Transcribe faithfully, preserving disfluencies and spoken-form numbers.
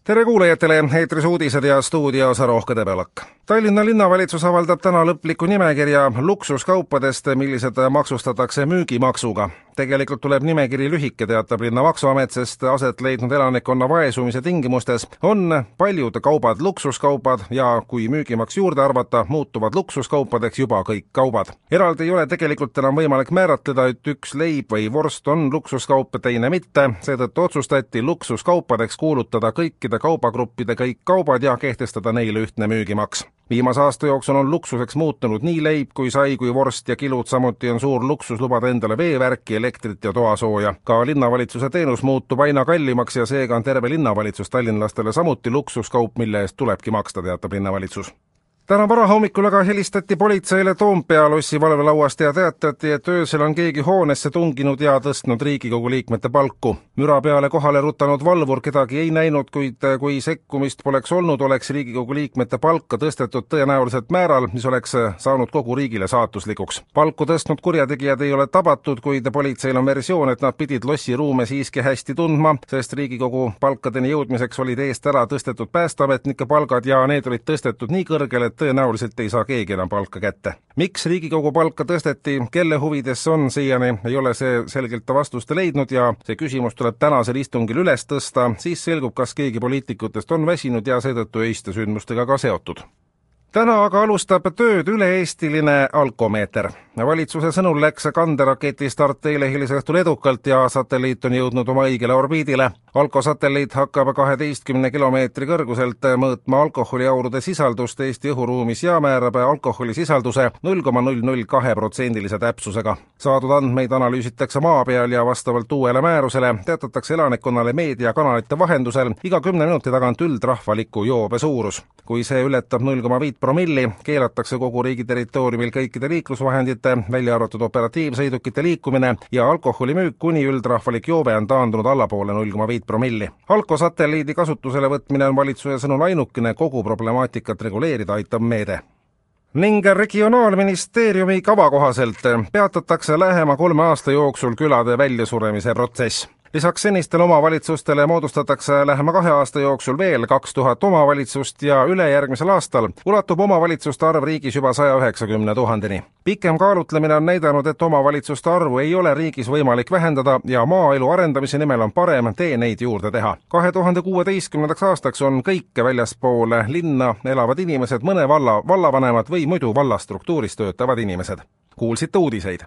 Tere kuulajatele, eetris uudised ja stuudios Rohke Debelak. Tallinna linnavalitsus avaldab täna lõpliku nimekirja luksuskaupadest, millised maksustatakse müügimaksuga. Tegelikult tuleb nimekiri lühike, teatab linna maksuamet, sest aset leidnud elanikkonna vaesumise tingimustes on paljud kaubad luksuskaubad ja kui müügimaks juurde arvata, muutuvad luksuskaupadeks juba kõik kaubad. Eraldi ei ole tegelikult enam võimalik määratleda, et üks leib või vorst on luksuskaup, teine mitte, seetõttu otsustati luksuskaupadeks kuulutada kõikide kaubagruppide kõik kaubad ja kehtestada neile ühtne müügimaks. Viimase aasta jooksul on luksuseks muutunud nii leib kui sai kui vorst ja kilud, samuti on suur luksus lubada endale veevärki, elektrit ja toasooja. Ka linnavalitsuse teenus muutub aina kallimaks ja seega on terve linnavalitsus tallinlastele samuti luksuskaup, mille eest tulebki maksta, teatab linnavalitsus. Täna varahommikul aga helistati politseile Toompea lossi valvelauast ja teatati, et öösel on keegi hoonesse tunginud ja tõstnud Riigikogu liikmete palku. Müra peale kohale rutanud valvur kedagi ei näinud, kuid kui sekkumist poleks olnud, oleks Riigikogu liikmete palka tõstetud tõenäoliselt määral, mis oleks saanud kogu riigile saatuslikuks. Palku tõstnud kurjategijad ei ole tabatud, kuid politseil on versioon, et nad pidid lossi ruume siiski hästi tundma, sest Riigikogu palkadeni jõudmiseks olid eest ära tõstetud päästeametnike palgad ja need olid tõstetud nii kõrgele, tõenäoliselt ei saa keegi enam palka kätte. Miks Riigikogu palka tõsteti, kelle huvides on siiani, ei ole see selgelt vastust leidnud ja see küsimus tuleb tänasel istungil üles tõsta, siis selgub, kas keegi poliitikutest on väsinud ja seetõttu öiste sündmustega ka seotud. Täna aga alustab tööd üle-eestiline alkomeeter. Valitsuse sõnul läks kanderaketi start eile hilisõhtul edukalt ja satelliit on jõudnud oma õigele orbiidile. Alkosatelliit hakkab kaheteistkümne kilomeetri kõrguselt mõõtma alkoholiaurude sisaldust Eesti õhuruumis ja määrab alkoholisisalduse null koma null null kaks protsendilise täpsusega. Saadud andmeid analüüsitakse maa peal ja vastavalt uuele määrusele teatatakse elanikkonnale meediakanalite vahendusel iga kümne minuti tagant üldrahvaliku joobe suurus. Kui see ületab null koma viis promilli, keelatakse kogu riigi territooriumil kõikide liiklusvahendite, välja arvatud operatiivsõidukite liikumine ja alkoholimüük kuni üldrahvalik joobe on taandunud allapoole null koma viis promilli. Alkosatelliidi kasutusele võtmine on valitsuse sõnul ainukene kogu problemaatikat reguleerida aitav meede. Ning regionaalministeeriumi kava kohaselt peatatakse lähema kolme aasta jooksul külade väljasuremise protsess. Lisaks senistele omavalitsustele moodustatakse lähema kahe aasta jooksul veel kaks tuhat omavalitsust ja ülejärgmisel aastal ulatub omavalitsuste arv riigis juba saja üheksakümne tuhandeni. Pikem kaalutlemine on näidanud, et omavalitsuste arvu ei ole riigis võimalik vähendada ja maaelu arendamise nimel on parem tee neid juurde teha. kahe tuhande kuueteistkümnendaks aastaks on kõik väljaspool linna elavad inimesed, mõne valla vallavanemad või muidu vallastruktuuris töötavad inimesed. Kuulsite uudiseid.